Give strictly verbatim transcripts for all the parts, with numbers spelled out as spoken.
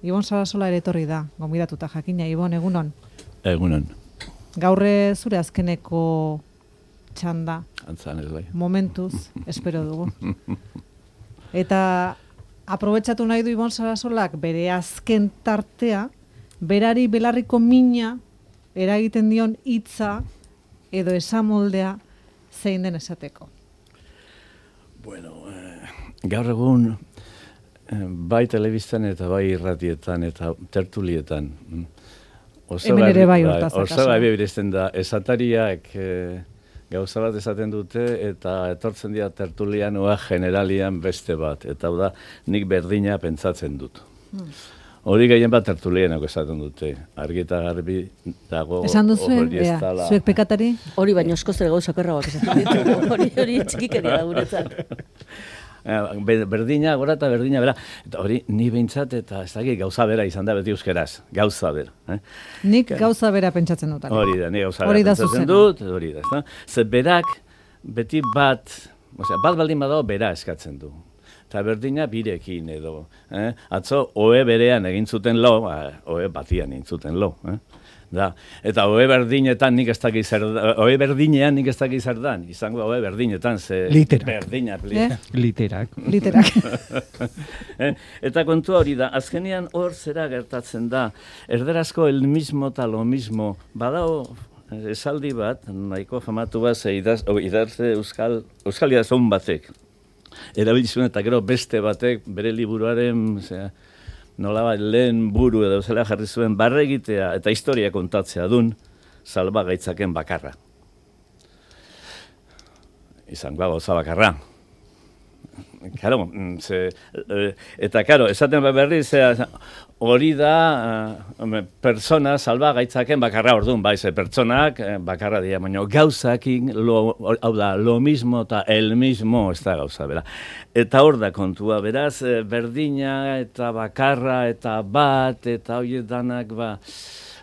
Ibon Sarasola ere etorri da, gonbidatuta jakina. Ibon, egunon? Egunon. Gaurre zure azkeneko txanda. Antzan ez bai. Momentuz, espero dugu. Eta aprobetxatu nahi du Ibon Sarasolak bere azken tartea, berari belarriko mina eragiten dion hitza edo esamoldea zein den esateko. Bueno, eh, gaur egun eh, bai telebistan eta bai irratietan eta tertulietan. Oso Hemen ere bai bai, hortaz oso akaso. bai beresten da, esatariak eh, gauza bat esaten dute eta etortzen dira tertulianoa generalian beste bat. Eta hau da, nik berdina pentsatzen dut. Hmm. Hori gehien bat tertulianako esaten dute. Argi eta garbi dago. Esan duzu, hori ez ea, dala- zuek pekatari? Hori baino askoz ere gauza okerragoak esaten ditugu. Hori hori txikikeria da guretzat. Be- Berdina, gora eta berdina, bera. Eta hori, ni behintzat, eta ez dakit gauza bera izan da beti euskeraz. Gauza bera. Eh? Nik gauza bera pentsatzen dut. Hori da, ni gauza Hori bera da pentsatzen zuzena. dut, hori da, ezta? Ze berak, beti bat, osea, bat baldin badago bera eskatzen du. Eta berdina birekin edo. Eh? Atzo, oe berean egin zuten lo, ba, oe batian egin zuten lo. Eh? Da. Eta oe berdinetan nik ez dakit zer da, oe berdinean nik ez dakit zer dan. Izango oe berdinetan, ze... Literak. Berdina, Eh? Literak. Literak. eh? Eta kontua hori da, azkenean hor zera gertatzen da, erderazko el mismo eta lo mismo, badao esaldi bat, nahiko famatu bat, ze idaz, o, idarze euskal, euskal idazun batek, erabilizuen eta gero beste batek bere liburuaren, zera, nolabait lehen buru edo zela jarri zuen barre egitea eta historia kontatzea dun, salbagaitzaken bakarra. Izango gauza bakarra. Karo, ze, eh, eta karo, esaten berri, zera, hori da, eh, persona salbagaitzaken bakarra orduan, bai, ze pertsonak eh, bakarra dira, baina gauzakin, lo, hau da, lo mismo eta el mismo, ez da gauza, bera. Eta hor da kontua, beraz, eh, berdina eta bakarra eta bat, eta horiek danak, ba,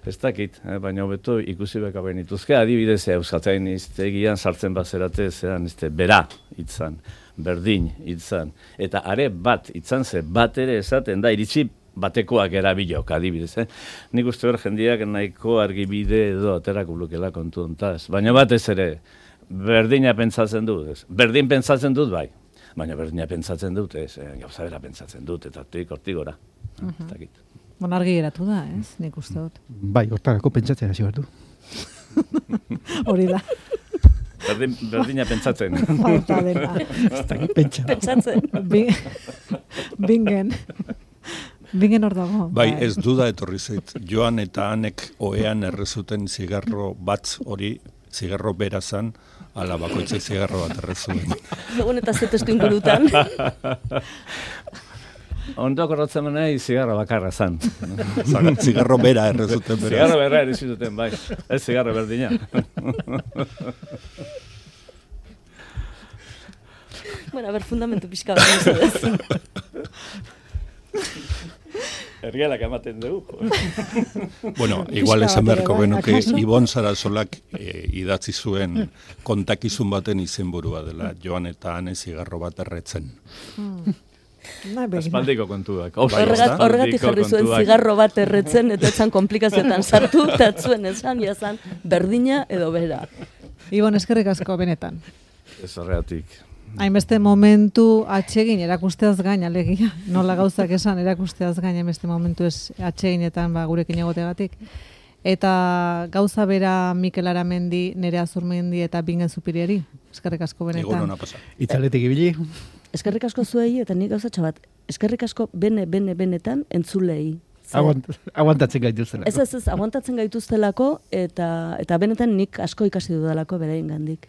ez dakit, eh, baina hobeto ikusi beka benituzke, adibidez, euskatain iztegian sartzen bazerate, zean, izte, bera, itzan, berdin, itzan, eta are bat, itzan ze, bat ere esaten da, iritsi batekoak erabilok, adibidez, eh? Nik uste hor jendiak nahiko argibide edo aterako lukela kontu hontaz, baina batez ere, berdina pentsatzen dut, ez? Berdin pentsatzen dut, bai, baina berdina pentsatzen dut, ez, eh, gauza bera pentsatzen dut, eta hortik hortik gora, uh -huh. Ez dakit. Bon, argi geratu da, ez? Nik uste dut. Bai, hortarako pentsatzen hasi behar du. Hori da. Berdin, berdina pentsatzen. Falta dena. Ez dakit pentsa. Pentsatzen. Bi- Bingen. Bingen hor dago. Bai, ez duda etorri zait. Joan eta Anek ohean errezuten zigarro bat hori, zigarro bera zan, ala bakoitzek zigarro bat errezuen. Egun eta ze testu ingurutan. Ondo akordatzen nahi zigarra bakarra zan. Zigarro bera errezuten bera. Zigarro berra ere zuten, bai. Ez zigarro berdina. Bueno, a ber, fundamentu pixka bat mesedez. Ergelak ematen dugu. Bueno, igual esan beharko bai, genuke akaso? Ibon Sarasolak eh, idatzi zuen kontakizun baten izenburua dela, Joan eta Ane zigarro bat erretzen. Nahi begira. Aspaldiko kontuak. Horregat- Horregatik jarri zuen zigarro bat erretzen, eta etzan komplikazioetan sartu, eta ez zuen esan, jazan, berdina edo bera. Ibon, eskerrik asko benetan. Ez horregatik. Hainbeste momentu atsegin erakusteaz gain, alegia. Nola gauzak esan erakusteaz gain, hainbeste momentu ez atseginetan ba, gurekin egotegatik. Eta gauza bera Mikel Aramendi, Nerea Zurmendi eta Bingen Zupiriari. Eskerrik asko Egun benetan. hona pasa. Itzaletik ibili. Eskerrik asko zuei, eta nik gauzatxo bat, eskerrik asko bene, bene, benetan entzulei. Ze- Aguant, aguantatzen gaituzela. Ez, ez, ez, aguantatzen gaituztelako, eta, eta benetan nik asko ikasi dudalako beraien gandik.